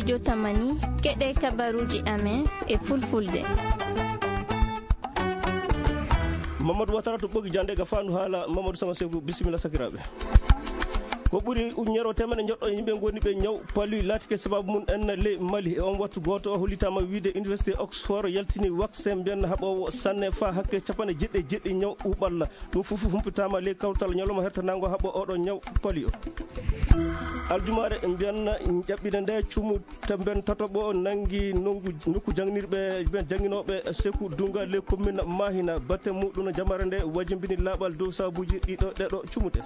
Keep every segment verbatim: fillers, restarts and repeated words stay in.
Jotamani, keɗe kabaruji amen e fulfulde. Mamadou Watara to ɓogi jande ga fandu hala Mamadou Sama Seku, bisimilla sakiraɓe. Ko ɓuri ujunere o temedde joɗɗo yimɓe goni ɓe ñaw palu laatike sababu mum en ley Mali. E on wattu gooto o hollitaama wiide Université Oxford yaltini waksen mbiyan haɓoowo sanne faa hakke capanɗe jeɗɗi e jeɗɗi ñaw ɓuuɓalla. Ɗum fof humpitaama ley kawtal ñalawma hertanango haɓo oɗo ñaw palu o. Aljumaare mbiyan ƴaɓɓinde nde cumu tamben tataɓo nangi nongu nokku janginirɓe ɓen janginooɓe Seku Dunga ley commune Mahina. Batte muɗum jamare nde wajimbini laaɓal dow sabuuji ɗiɗo ɗeɗo cumute.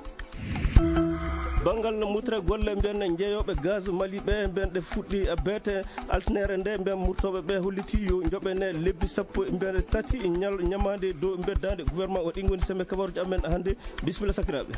Banngal murtugol golle mbiyan jeeyooɓe gaz Mali ɓe mbiyan ɗe fuɗɗi beete altinere nde mbiyan murtooɓe ɓe holliti yo njoɓene lebbi sappo mbiyan tati ñal ñamaande dow beddaande gouvernement o. Ɗin ngoni sembe kabaruji amen hannde. Bisimilla sakiraaɓe.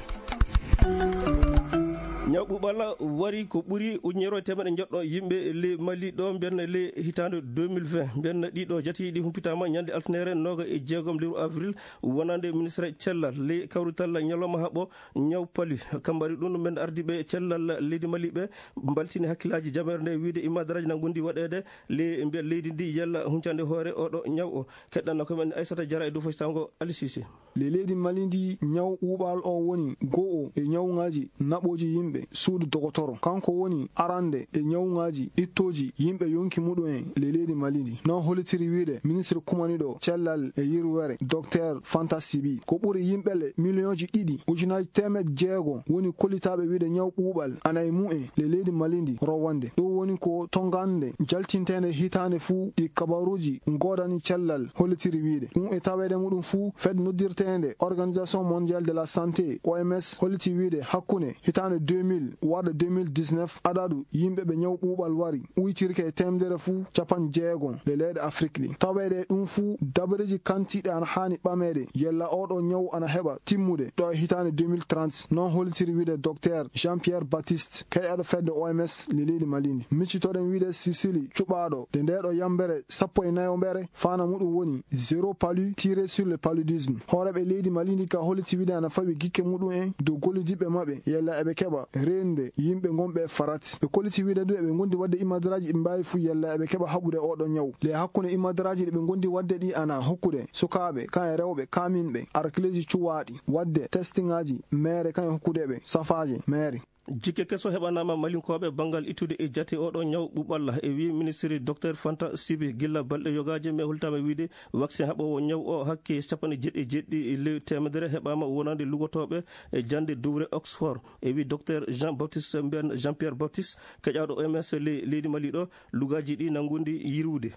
Ñaw ɓuuɓal wari ko ɓuri ujunere e temedde joɗɗo yimɓe ley Mali ɗo mbiyan ley hitaande deux mille vingt. Mbiyan ɗiɗo jatiiɗi humpitaama ñande altinere nooga e jeegom lewru avril wonande ministre cellal ley kawrital ñalawma haɓo ñaw palu. Kambari ɗum men ardiiɓe cellal leydi Mali ɓe mbaltini hakkillaaji jamere nde wiide imadaraaji na ngondi waɗeede ley mbiya leydi ndi yalla huncande hoore oɗo ñaw o. Keɗɗanno ko men Aissata Diarra e dow faysango Ali Cissé. Ley leydi Mali ndi ñaw ɓuuɓal o woni go'o e ñawŋaaji naɓooji yimɓe suudu dogotoro. Kanko woni arande e ñawŋaaji ittooji yimɓe yonki muɗum en ley leydi Mali ndi. Non hollitiri wiide ministre kumaniɗo cellal e yirwere Docteur Fanta Sibi. Ko ɓuri yimɓe le miliyonji ɗiɗi ujunaaji teemeɗɗe jeego woni kollitaaɓe wiide ñaw ɓuuɓal ana e mumen ley leydi Mali ndi rowande. Ɗum woni ko tongande jaltinteende hitaande fuu ɗi kabaruuji ngoodani cellal hollitiri wiide. Ɗum e taweede muɗum fuu fed noddirteende Organisation Mondiale de la Santé, O M S, holliti wiide hakkunde hitaande deux mille warde deux mille dix-neuf adadu yimɓe ɓe ñaw ɓuuɓal wari uytirke e teemedere fuu capanɗe jeego le leyɗe Afrik ɗi. Taweede ɗum fuu dabareeji kantiiɗe ana haani ɓameede yalla oɗo ñaw ana heɓa timmude ɗo e hitaande deux mille trente. Non hollitiri wiide Docteur Jean-Pierre Baptiste, keyɗo fedde O M S le leydi Mali ndi. Miccitoɗen wiide Sicily cuɓaaɗo de ndeeɗo yambere sappo e nayoɓere faana muɗum woni zéro palu tiré sur le paludisme. Hooreeɓe leydi Mali ndi ka holliti wiide ana fawi gikke muɗum en dow gollidiiɓe maɓɓe yalla eɓe keɓa reenude yimɓe gonɓe e farati. Ɓe kolliti wiide du eɓe gondi waɗde imadaraaji ɗi mbaawi fuu yalla eɓe keɓa haɓude oɗo ñaw. Le hakkunde imadaraaji ɗi ɓe gondi waɗde ɗi ana hokkude sukaaɓe kan e rewɓe kaaminɓe arkleeji cuwaaɗi waɗde testingaaji meere kan e hokkude ɓe safaaje meere. Jikke keso heɓanaama Malinkooɓe banngal ittude e jate oɗo ñaw ɓuuɓalla. E wii ministiri Docteur Fanta Sibi, gilla balɗe yogaaji mi hollitaama wiide waksin haɓoowo ñaw o hakke capanɗe jeɗɗi e jeɗɗi ley teemedere heɓaama wonande lugotooɓe e jannde dowre Oxford. E wii Docteur Jean Baptiste mbiyan Jean Pierre Baptiste, keƴaaɗo O M S ley leydi Mali ɗo, lugaaji ɗi nangundi yirwude.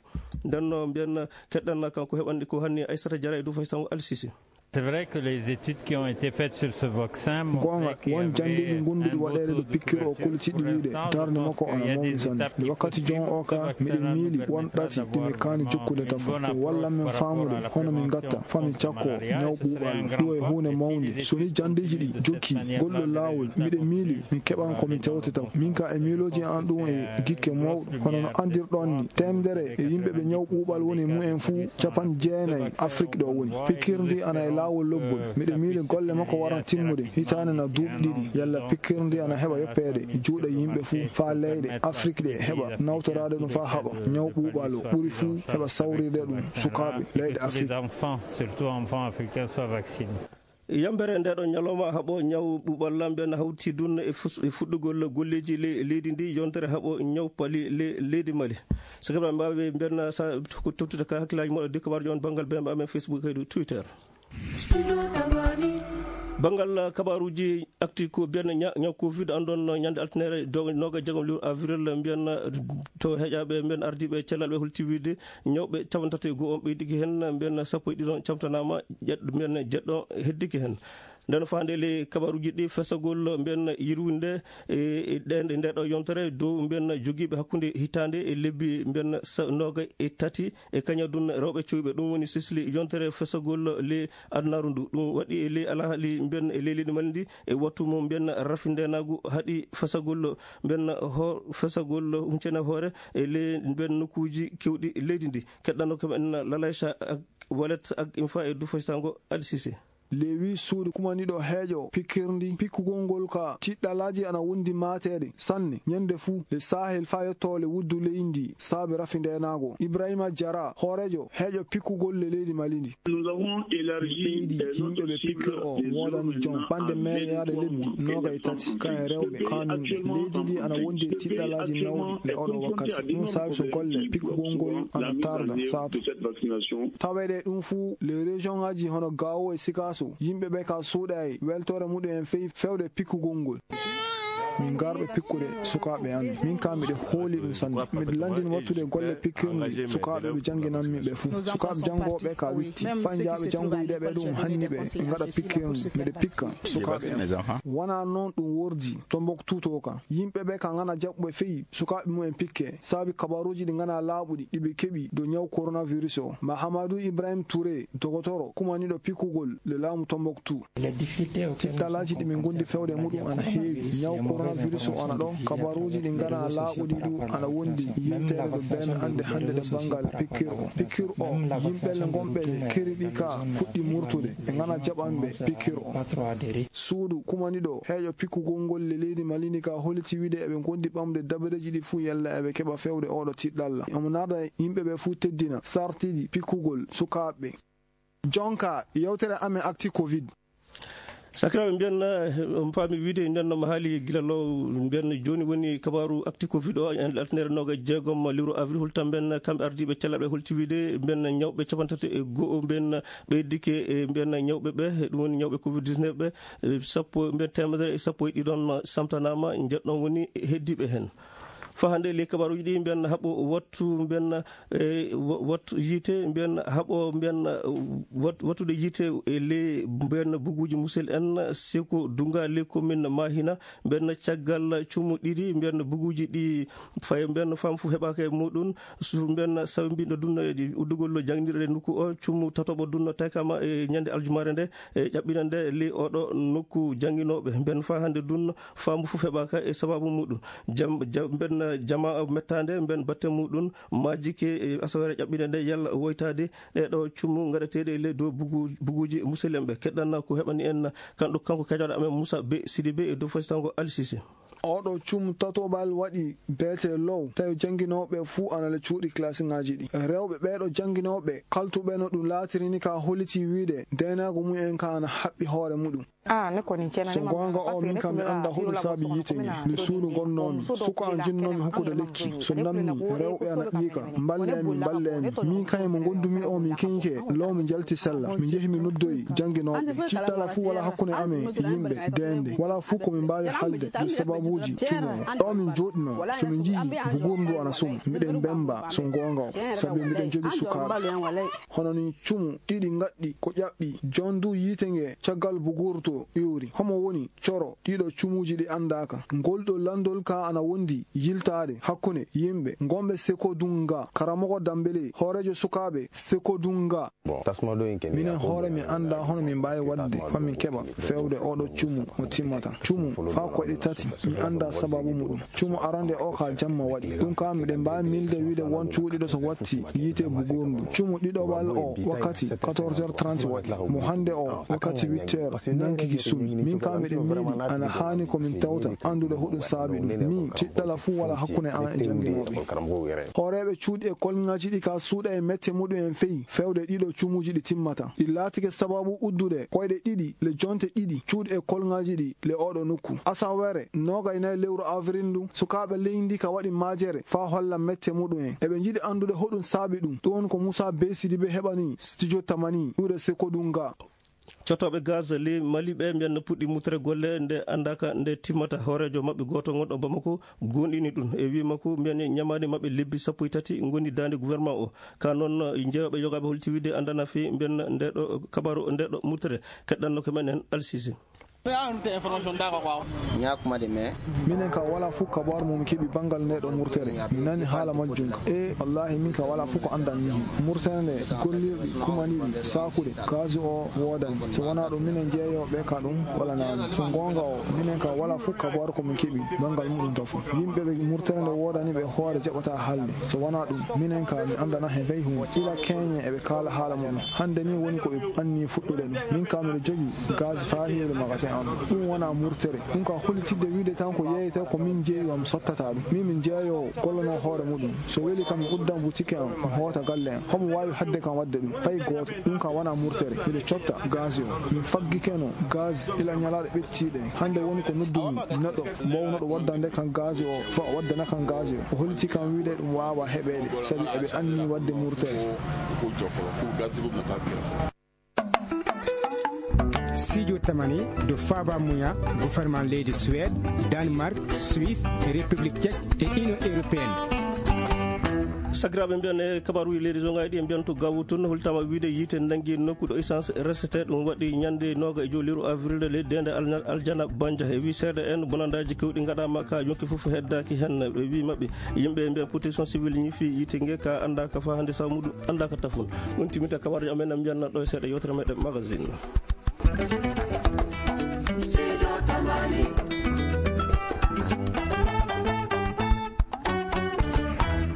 Ndenno mbiyan keɗɗan kanko heɓanɗi ko hanni Aissata Diarra e dow faysango Alsisi. C'est vrai que les études qui ont été faites sur ce vaccin montraient qu'il y avait un beau taux de couverture pour l'instant. Je pense qu'il y a des étapes qu'il faut sauter parce que là, le gouvernement doit vraiment voir comment il faut aller. Ngonga, won janndeeji ngonduɗi waɗeede ɗo pikkir o kolliti ɗi wiide darnde makko ana mawni sanne. Nde wakkati jon o ka miɗen miili won ɗati ɗi mi kaani jokkude kam. E walla men faamude hono min ngatta fami cakko ñaw ɓuuɓal ɗo e huunde mawnde. So ni janndeeji ɗi jokki golɗo laawol miɗen miili min keɓan ko min tewtata. Min ka e miilooji an ɗum e gikke mawɗo hono no anndirɗon ni teemedere e yimɓe ɓe ñaw ɓuuɓal woni mumen fuu capanɗe jeenayi Afrik ɗo woni. Pikkirdi ana e laawol lobbol. Miɗo miili golle makko waran timmude hitaande na duuɓi ɗiɗi. Yalla pikkirdi ana heɓa yoppeede juuɗe yimɓe fuu faa leyɗe Afrik ɗe heɓa nawtoraade ɗum faa haɓa ñaw ɓuuɓal o ɓuri fuu heɓa sawrirde ɗum sukaaɓe leyɗe Afrik. Surtout enfants africains soient vaccinés. Yambere ndeɗo ñalawma haɓo ñaw ɓuuɓal lamɓe na hawti dun e fus-, e fuɗɗugol golleeji le-, leydi ndi yontere haɓo ñaw pali le-, leydi Mali. Sakiraaɓe mbaawi mbiyan sa ko tottude ka hakkilaaji moɗo dikka warjo on banngal B M A men Facebook kay Twitter. Banngal kabaaruuji akti ko mbiyan ña-, ñaw covid andon ñande altinere do-, nooga e jeegom lewru avril mbiyan to heƴaaɓe mbiyan ardiiɓe cellal ɓe holti wiide ñawɓe capanɗe tati e go'o on ɓeydike heen, mbiyan sappo e ɗiɗo camtanaama, ƴeɗ-, mbiyan jeɗɗo heddike heen. Nden faande le kabaruuji ɗi fesagol mbiyan yirwinde e, e ɗen, e nde ɗo yontere dow mbiyan jogiiɓe hakkunde hitaande e lebbi mbiyan sa-, nooga e tati e kañadun rewɓe cowɓe. Ɗum woni sisli yontere fesagol le adunaaru ndu. Ɗum waɗi e le alhaali mbiyan e le leydi Mali ndi e wattu mo mbiyan rafi ndenaagu haɗi fesagol mbiyan ho-, fesagol huncene hoore e le mbiyan nokkuuji kewɗi leydi ndi. Keɗɗano ko men Lalaysa ak Walet ak Infa e Dufay Sango Alsise. Lewi suudu kumaniɗo heeƴo pikkirndi pikkugol ngol ka tiɗɗalaaji ana wondi maateede sanne ñande fuu le Sahel faa yottoo le wuddu leydi saabe rafi ndeenaago. Ibrahima Jara, hooreejo heeƴo pikkugol le leydi Mali ndi. Ɓeydi yimɓe ɓe pikkir o woodani jom ɓande meere yaade lebbi noogay tati, ka e rewɓe kaaminɓe. Leydi ndi ana wondi e tiɗɗalaaji nawɗi le oɗo wakkati. Ɗum saabi so golle pikkugol ngol ana tarda saatu. Taweede ɗum fuu, le région ŋaaji hono Gao e Sikaso, yimɓe ɓe ka suuɗaay weltoore muɗum en fey fewde pikkugol ngol. Min ngarɓe pikkude sukaaɓe amin. Min ka miɗe hooli ɗum sanne. Miɗo lanndin wattude golle pikkirɗi sukaaɓe ɓe jannginanmi ɓe fuu. Sukaaɓe janngooɓe ka witti. Faa njaaɓe janngoyde ɓe ɗum hanni ɓe, ɓe ngaɗa pikkirɗi. Miɗe pikka sukaaɓe am. Wonaa noon ɗum wordi. Tombouctou to ka. Yimɓe ɓe ka ngana jaɓɓuɓe fey sukaaɓe mumen pikke. Saabi kabaruuji ɗi ngana laaɓuɗi ɗi ɓe keɓi dow ñaw coronavirus o. Mahamadou Ibrahim Touré, dogotoro, kumaniiɗo pikkugol le laamu Tombouctou. Tiɗɗalaaji ɗi min ngondi fewde muɗum ana heewi. Ñaw coronavirus o ana ɗo, kabaruuji ɗi ngana laaɓuɗi ɗu ana wondi yilteede ɗo been annde hannde ɗe banngal pikkir o. Pikkir o, yimɓe le ngonɓe le keriɗi ka fuɗɗi murtude, ɓe ngana jaɓanɓe pikkir o. Suudu kumaniɗo heeƴo pikkugol ngol le leydi Mali ndi ka holiti wiide eɓe ngondi ɓamde dabareeji ɗi fuu yalla eɓe keɓa fewde oɗo tiɗɗalla. Omo naada yimɓe ɓe fuu teddina sartiiji pikkugol sukaaɓe. Jonka, yewtere amen acti covid. Sakiraaɓe, mbiyen, eh, on paami wiide, mbiyen no mo haali gila law, mbiyen jooni woni kabaaru acti covid o, en alternere nooga e jeegom lewru avril, holta mbiyen kamɓe ardiiɓe cellal ɓe holti wiide, mbiyen ñawɓe capanɗe tati e go'o, mbiyen ɓeydike, e mbiyen ñawɓe ɓe, ɗum woni ñawɓe covid dix-neuf ɓe, e sappo, mbiyen teemedere e sappo e ɗiɗon samtanaama, njeɗɗon woni heddiiɓe heen. Faa hannde, ley kabaaruuji ɗi, mbiyen haɓo wattu, mbiyen, eh, wa-, wattu yiite, mbiyen haɓo, mbiyen, eh, wat-, wattude yiite e ley, mbiyen buguuji musel en, seko dunga ley commune Mahina, mbiyen caggal cumu ɗiɗi, mbiyen buguuji ɗi fay, mbiyen faamu fuu heɓaaka e muɗum, su-, mbiyen sawi mbiɗo dunno e uddugol jannginirɗe nokku o, cumu tataɓo dunno taykama e ñande aljumaare nde, e ƴaɓɓina nde ley oɗo nokku jannginooɓe, mbiyen faa hannde dunno, faamu fuu heɓaaka e sababu muɗum. Jam-, jam-, mben, eh, jamaa mettaande, mben batte muɗum, majjike e asaweere ƴaɓɓinde nde, yalla woytaade ɗee ɗo cummu ngaɗeteeɗe e ley dow bugu-, buguuji musidɓe. Keɗɗan ko heɓani en kanɗo, kanko keƴoɗo amen Moussa B Sidibé e dow fasitango Alsise. Oɗo cummu tatoɓal waɗi beete low, tawi jannginooɓe fuu ana le cuuɗi klasiŋaaji ɗi. Rewɓe ɓee ɗo jannginooɓe kaltuɓe no ɗum laatiri ni ka holliti wiide, deenaagu mum en ka ana haɓɓi hoore muɗum. Ah, ne kɔni, tiɲɛ na, so ne ma goonga o, min kam mi annda hoɗum saabi yiite nge. Nde suudu ngonnoomi, suka an jinnoomi hokkude lekki. So nammi, rewɓe ana ƴiika, mballe mi, mballe mi. Min kañum mo ngondumi o, min keñike, law mi jalti sella. Mi njehi mi noddoyi jannginooɓe. Tiɗɗala fuu wala hakkunde amen e yimɓe, deende. Wala fuu ko min mbaawi haalde, yo sababuuji cumu. Ɗo min jooɗinoo, so min njiyi bugurndu ana suma, miɗen mbemba, so goonga o, sabi miɗen jogii sukaaɓe. Hono ni cumu ɗiɗi ngaɗɗi ko ƴaɓɓi. Jon du yiite nge caggal bugurto iwri. Homo woni coro ɗiɗo cumuuji ɗi anndaaka. Ngol ɗo lanndol ka ana wondi yiltaade hakkunde yimɓe ngonɓe Sekodunga. Karamoko Dambele, hooreejo sukaaɓe Sekodunga. Minen hoore mi annda hono min mbaawi waɗde faa min keɓa fewde oɗo cumu mo timmata. Cumu faa koyɗe tati, mi annda sababu muɗum. Cumu arande o ka jamma waɗi. Ɗum ka miɗen mbaawi milde wiide won cuuɗiiɗo so watti yiite bugurndu. Cumu ɗiɗoɓal o wakkati quatorze heures trente waɗi. Mo hannde o wakkati huit heures nankiki sumi. Min ka miɗen miili ana haani ko min tawta anndude hoɗum saabi ɗum. Mi tiɗɗala fuu wala hakkunde an e jannginooɓe. Hooreeɓe cuuɗi e kolŋaaji ɗi ka suuɗa e mette muɗum en feyi fewde ɗiɗo cumuuji ɗi timmata. Ɗi laatike sababu uddude koyɗe ɗiɗi le jonte ɗiɗi cuuɗi e kolŋaaji ɗi le oɗo nokku. Asaweere noogay nayi lewru avril ndu, sukaaɓe leydi ka waɗi majere faa holla mette muɗum en. Eɓe njiɗi anndude hoɗum saabi ɗum. Ɗum woni ko Moussa B Sidibé heɓani Studio Tamani, iwde Sekodunga. Cotooɓe gaz ley Mali ɓe mbiyan no puɗɗi mutre golle nde anndaaka nde timmata. Hooreejo maɓɓe gooto gonɗo Bamako goonɗini ɗum. E wii makko mbiyan ñamaande maɓɓe lebbi sappo e tati ngoni daande gouvernement o. Ka noon, jeeyooɓe yogaaɓe holti wiide anndana fii mbiyan nde ɗo kabaru, nde ɗo mutre. Keɗɗanno ko men en Alsise. Ñaakuma de, mais minen ka wala fof kabaru mo mi keɓi banngal nde ɗo murtere. Mi nani haala majjum ka. E wallahi, min ka wala fof ko anndan mi. Murtere nde gollirɗi, kumaniɗi, saakuɗe, gaz o woodani. So wonaa ɗum, minen jeeyooɓe ka ɗum wala naani. So goonga o, minen ka wala fof kabaru ko min keɓi banngal muɗum to fof. Yimɓe ɓe murtere nde woodani ɓe hoore jaɓata haalde. So wonaa ɗum, minen ka mi anndana he fey huunde. Ila keeñe eɓe kaala haala muɗum. Hannde ni woni ko ɓe anni fuɗɗude ɗum. Min ka miɗo jogi gaz faa heewde magasin am ɗo. Ɗum wonaa murtere. Ɗum ka hollitidde wiide tan ko yeeyete ko min jeeyi am sottata ɗum. Min mi jeeyoowo gollano hoore muɗum. So weli kam mi uddan butike am, mi hoota galle am. Homo waawi hadde kam waɗde ɗum? Fay gooto. Ɗum ka wonaa murtere. Miɗo cotta gaz o. Min faggikeno gaz ila ñalaaɗe ɓettiiɗe. Hannde woni ko noddumi neɗɗo mawnuɗo waddande kan gaz o, fo waddana kan gaz o. O holliti kam wiide ɗum waawa heɓeede, sabi eɓe anni waɗde murtere. Studio Tamani ɗo faaba muya gouvernement leydi Suède, Danemark, Suisse, République Tchèque e Union Européenne. Sakiraaɓe, mbiyan e kabaruuji leydi zongaaji ɗi, en mbiyan to Gaawu toon, holtaama wiide yiite nanngi nokku ɗo essence resete. Ɗum waɗi ñande nooga e jooliiru avril leydi deende alna-, aljana Banja. E wii seeɗa en, bonandaaji kewɗi ngaɗaama ka yonki fof heddaaki heen. Ɓe wii maɓɓe, yimɓe mbiyan protection civile ñifi yiite nge ka anndaaka faa hannde sabu muɗum anndaaka tafon. Ɗum timmita kabaruuji amen, en mbiyan ɗo e seeɗa yewtere meɗen magazine.